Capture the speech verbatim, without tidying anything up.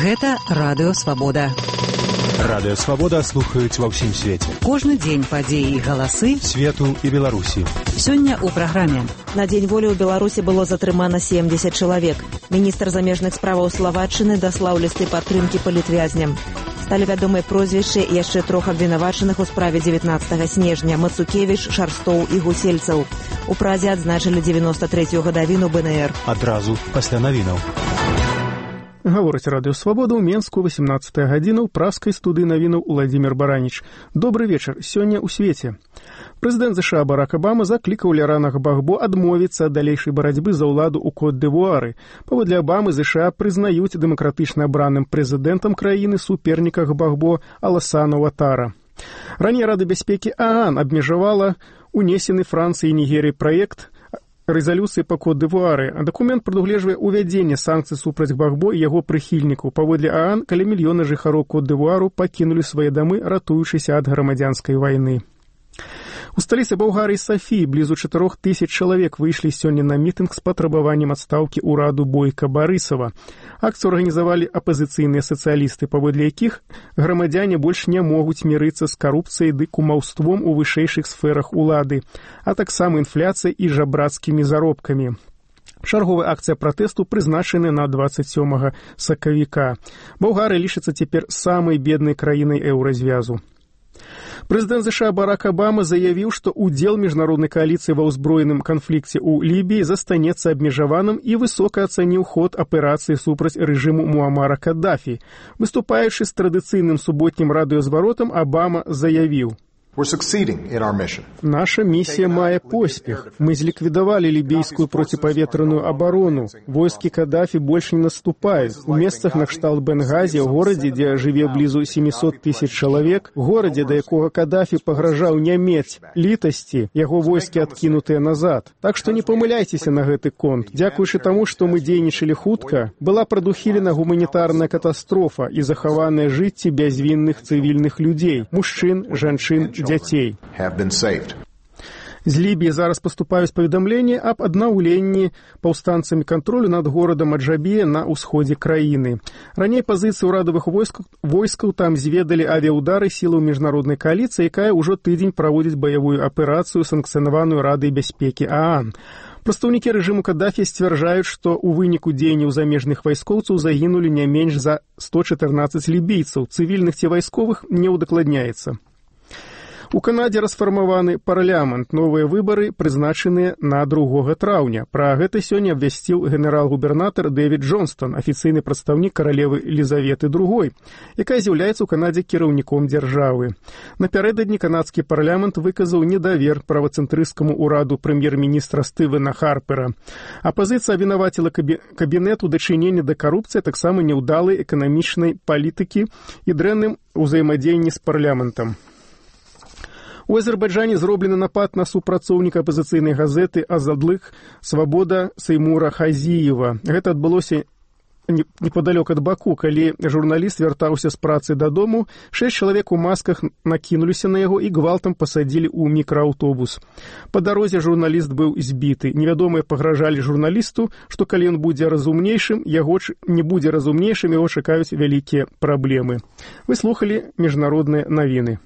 Гэта Радыё Свабода. Радыё Свабода слухаюць ва ўсім свеце. Кожны дзень падзеі і галасы свету і Беларусі. Сёння ў праграме. На Дзень волі ў Беларусі было затрымана семдзесят чалавек. Міністр замежных справаў Славаччыны даслаў лісты падтрымкі палітвязням. Сталі вядомыя прозвішчы яшчэ трох абвінавачаных у справе дзевятнаццатага снежня: Мацукевіч, Шарстоў і Гусельцаў. У Празе адзначылі дзевяноста трэцюю гадавіну бэ эн эр. Адразу пасля навінаў. Гаворыць Радыё Свабода ў Менску, васемнаццатая гадзіна, ў праскай студыі навінаў Уладзімір Бараніч. Добры вечар. Сёння ў свеце. Прэзідэнт ЗША Барак Абама заклікаў Лярана Гбагбо адмовіцца ад далейшай барацьбы за ўладу ў Кот-д'Івуары. Паводле Абамы, ЗША прызнаюць дэмакратычна абраным прэзідэнтам краіны суперніка Гбагбо Аласана Уатара. Раней Рада бяспекі ААН абмежавала унесены Францыі і Нігерыі праект рэзалюцыі па Кот-д'Івуары, а дакумент прадугледжвае ўвядзенне санкцый супраць Гбагбо і яго прыхільнікаў. Паводле ААН, каля мільёна жыхароў Кот-д'Івуару пакінулі свае дамы, ратуючыся ад грамадзянскай вайны. У сталіцы Балгарыі Сафіі блізу чатырох тысяч чалавек выйшлі сёння на мітынг з патрабаваннем адстаўкі ўраду Бойка Барысава. Акцыю арганізавалі апазіцыйныя сацыялісты, паводле якіх грамадзяне больш не могуць мірыцца з карупцыяй ды кумаўством у вышэйшых сферах улады, а таксама інфляцыяй і жабрацкімі заробкамі. Чарговая акцыя пратэсту прызначана на дваццаць сёмага сакавіка. Балгарыя лічыцца цяпер самай беднай краінай еўразвязу. Прэзідэнт ЗША Барак Абама заявіў, што ўдзел міжнароднай кааліцыі ва ўзброеным канфлікце ў Лібіі застанецца абмежаваным і высока ацаніў ход аперацыі супраць рэжыму Муамара Каддафі. Выступаючы з традыцыйным суботнім радыёзваротам, Абама заявіў: «Наша місія мае поспех. Мы зліквідавалі лібійскую проціпаветраную абарону. Войскі Каддафі больш не наступаюць. У месцах накшталт Бенгазі, у горадзе, дзе жыве блізу сямісот тысяч чалавек, горадзе, да якога Каддафі пагражаў не мець літасці, яго войскі адкінутыя назад. Так што не памыляйцеся на гэты конт. Дзякуючы таму, што мы дзейнічалі хутка, была прадухілена гуманітарная катастрофа і захаваныя жыцці бязвінных цывільных людзей, мужчын, жанчын, дзяцей. З Лібіі зараз паступаюць паведамленні аб аднаўленні паўстанцамі кантролю над горадам Аджабія на ўсходзе краіны. Раней пазіцыі ўрадавых войскаў, войскаў там зведалі авіяудары сілаў міжнароднай кааліцыі, якая ўжо тыдзень праводзіць баявую аперацыю, санкцыянаваную Радай бяспекі ААН. Прадстаўнікі рэжыму Каддафі сцвярджаюць, што ў выніку дзеянняў замежных вайскоўцаў загінулі не менш за сто чатырнаццаць лібійцаў, цывільных ці вайсковых не ўдакладняецца. У Канадзе расфармаваны парламент. Новыя выбары прызначаныя на другога траўня. Пра гэта сёння абвясціў генерал-губернатар Дэвід Джонстон, афіцыйны прадстаўнік каралевы Елізаветы другой, якая з'яўляецца ў Канадзе кіраўніком дзяржавы. Напярэдадні канадскі парламент выказаў недавер правацэнтрысцкаму ўраду прэм'ер-міністра Стывена Харпера. Апазіцыя абвінаваціла кабінет у дачыненні да карупцыі, таксама няўдалай эканамічнай палітыкі і дрэнным узаемадзеянні з парламентам. У Азербайджане зроблены напад на супрацоўніка апазіцыйнай газеты «Азадлык Свабода» Сеймура Хазіева. Гэта адбылося непадалёк ад Баку, калі журналіст вяртаўся з працы дадому, шэсць чалавек у масках накінуліся на яго і гвалтам пасадзілі ў мікрааўтобус. Па дарозе журналіст быў збіты. Невядомыя пагражалі журналісту, што калі ён будзе разумнейшым, яго не будзе разумнейшым, яго чакаюць вялікія праблемы. Вы слухалі міжнародныя навіны.